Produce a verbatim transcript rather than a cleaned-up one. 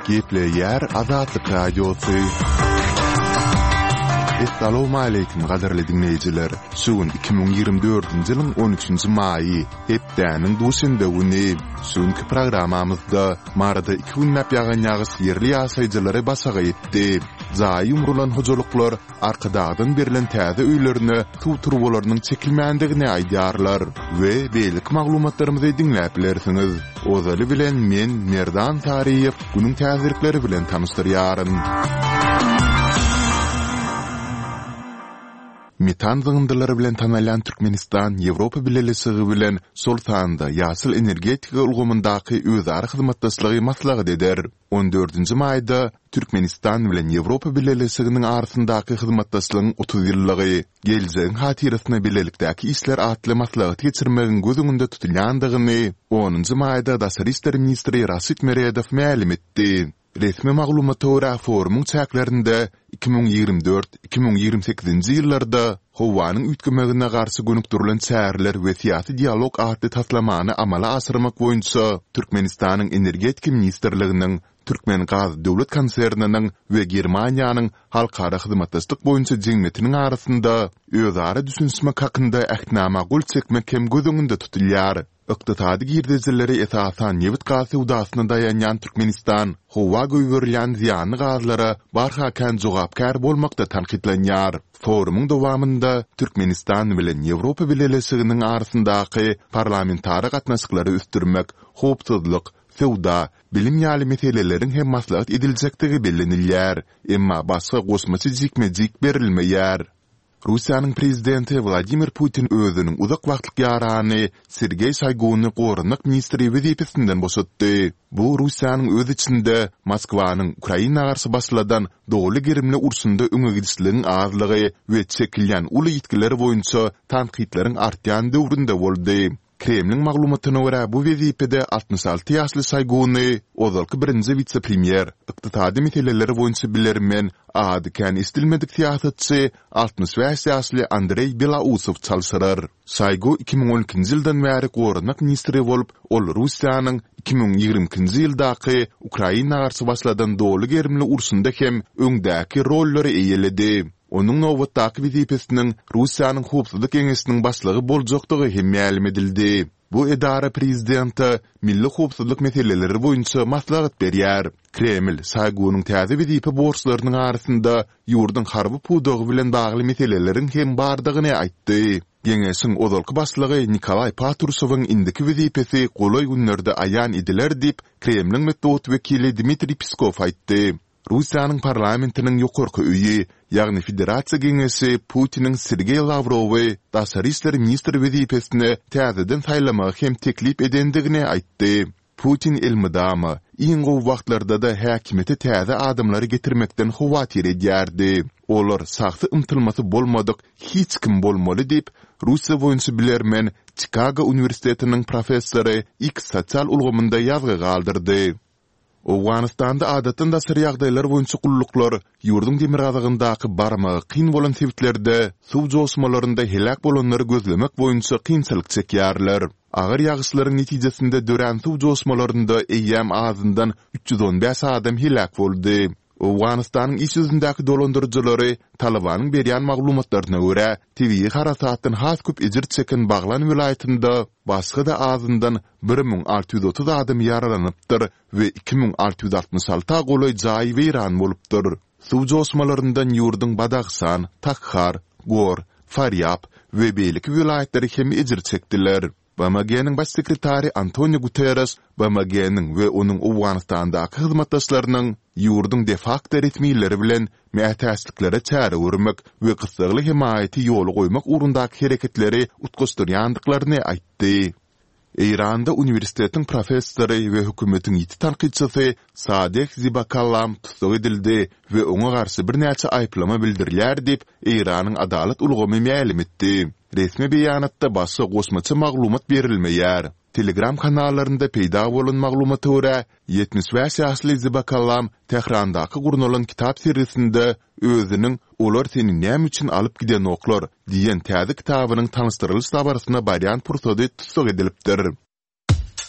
Gepleýär Azatlyk Radiosy. Essalawmaleýkim gadyrly diňleýjiler! Şu gün iki müň ýigrimi dördünji ýylyň on üçünji maýy, hepdäniň duşenbe güni. Şu günki programmamyzda Maryda iki günläp ýagan ýagyş ýerli ýaşaýjylary başagaý etdi. Jaýy ýumrulan hojalyklar Arkadagdan berlen täze öýlerine suw turbalarynyň çekilmändigini aýdýarlar we beýleki maglumatlarymyzy diňläp bilersiňiz. Ozaly bilen men, Merdan Saryýew, günüň täzelikleri bilen tanyşdyrýaryn. Metan zyňyndylary bilen tanalýan Türkmenistan Ýewropa Bileleşigi bilen, şol sanda ýaşyl energetika ulgamyndaky özara hyzmatdaşlygy maslahat eder. On dördünji maýda Türkmenistan bilen Ýewropa Bileleşiginiň arasyndaky hyzmatdaşlygyň otuz ýyllygy, geljegiň hatyrasyna bilelikdäki işler atly maslahaty geçirmegiň göz öňünde tutulýandygyny onunjy maýda daşary işler ministri Raşid Meredow mälim etdi. Resmi maglumata görä, forumyň çäklerinde iki müň ýigrimi dört, iki müň ýigrimi sekizinji ýyllarda howanyň üýtgemegine garşy gönükdirilen çäreler we syýasy dialog atly taslamany amala aşyrmak boýunça Türkmenistanyň Energetika ministrliginiň, Türkmengaz döwlet konserniniň we Germaniýanyň Halkara hyzmatdaşlyk boýunça jemgyýetiniň arasynda özara düşünişmek hakynda Ähtnama gol çekmek hem göz öňünde tutulýar. Ykdysady girdejileri esasan nebit-gaz söwdasyna daýanýan Türkmenistan howa goýberilýän zyýanly gazlara barha kän jogapkär bolmakda tankytlanýar. Forumyň dowamynda Türkmenistan bilen Ýewropa Bileleşiginiň arasyndaky parlamentara gatnaşyklary ösdürmek, howpsuzlyk, söwda, bilim ýaly meseleleriň hem maslahat ediljekdigi bellenilýär, emma başga goşmaça jikme-jik berilmeýär. Russiýanyň prezidenti Wladimir Putin özüniň uzak wagtlyk ýarany Sergeý Şoýguny goranmak ministri wezipesinden boşatdy. Bu Russiýanyň öz içinde Moskwanyň Ukraina garşy başladan doly gerimli urşunda öňe gidişligiň azlygy we çekilýän uly ýitgiler boýunça tankytlaryň artýan döwründe boldy. Kremliň maglumatyna görä, bu wezipede altmyş alty ýaşly Şoýguny ozalky birinji wise-premýer, ykdysady meseleler boýunça bilermen, ady kän eşidilmedik syýasatçy altmyş bäş ýaşly Andreý Belausow çalşyrar. Şoýgu iki müň on ikinji ýyldan bäri goranmak ministri bolup, ol Russiýanyň iki müň ýigrimi ikinji ýyldaky Ukraina garşy başladan doly gerimli urşunda hem öňdäki rollary eýeledi. Onuň nobatdaky wezipesiniň Russiýanyň Howpsuzlyk geňeşiniň başlygy boljakdygy hem mälim edildi. Bu edara prezidente milli howpsuzlyk meseleleri boýunça maslahat berýär. Kreml Şoýgunyň täze wezipe borçlarynyň arasynda ýurduň harby pudagy bilen bagly meseleleriň hem bardygyny aýtdy. Geňeşiň ozalky başlygy Nikolaý Patruşewiň indiki wezipesi golaý günlerde aýan ediler diýip, Kremliň metbugat wekili Dmitriý Peskow aýtdy. Russiýanyň parlamentiniň ýokarky öýi, ýagny Federasiýa Geňeşi Putiniň Sergeý Lawrowy daşary işler ministri wezipesine täzeden saýlamagy hem teklip edendigini aýtdy. Putin elmydama, iň gowy wagtlarda-da häkimiýete täze adamlary getirmekden howatyr edýärdi. Olar şahsy ymtylmasy bolmadyk hiç kim bolmaly diýip, Russiýa boýunça bilermen, Çikago uniwersitetiniň professory X sosial ulgamynda ýazgy galdyrdy. Owganystanda adatdan daşary ýagdaýlar boýunça gulluklar ýurduň demirgazygyndaky barmagy kyn bolan sebitlerde suw joşmalarynda heläk bolanlary gözlemek boýunça kynçylyk çekýärler. Agyr ýagyşlaryň netijesinde dörän suw joşmalarynda eýýäm azyndan üç ýüz on bäş adam heläk boldy. Owganystanyň iş ýüzündäki dolandyryjylary Talybanyň berýän maglumatlaryna görä, tebigy harasatdan has köp ejir çeken Baglan welaýatynda başga-da azyndan bir müň alty ýüz otuz adam ýaralanypdyr we iki müň alty ýüz altmyş alta golaý jaý weýran bolupdyr. Suw joşmalaryndan ýurduň Badahşan, Takhar, Gor, Farýab we beýleki welaýatlary hem ejir çekdiler. BMG-niň Baş sekretary Antonio Guterres BMG-niň we onuň Owganystandaky hyzmatdaşlarynyň ýurduň de-fakto resmileri bilen mätäçliklere çäre görmek we gyssagly hemaýaty ýola goýmak ugrundaky hereketleri utgaşdyrýandyklaryny aýtdy. Eýranda uniwersitetiň professory we hökümetiň ýiti tankytçysy Sadeh Zibakallam tussag edildi we oňa garşy birnäçe aýyplama bildirilýär diýip, Eýranyň adalat ulgamy mälim etdi. Resmi beýanatda başga goşmaça maglumat berilmeýär. Telegram kanallarynda peýda bolan maglumata görä, ýetmiş bäş ýaşly Zibakalam Tährandaky gurnalan kitap sergisinde özüniň Olar seni näme üçin alyp gidenoklar? diýen täze kitabynyň tanyşdyrylyş dabarasyna barýan pursady tussag edilipdir.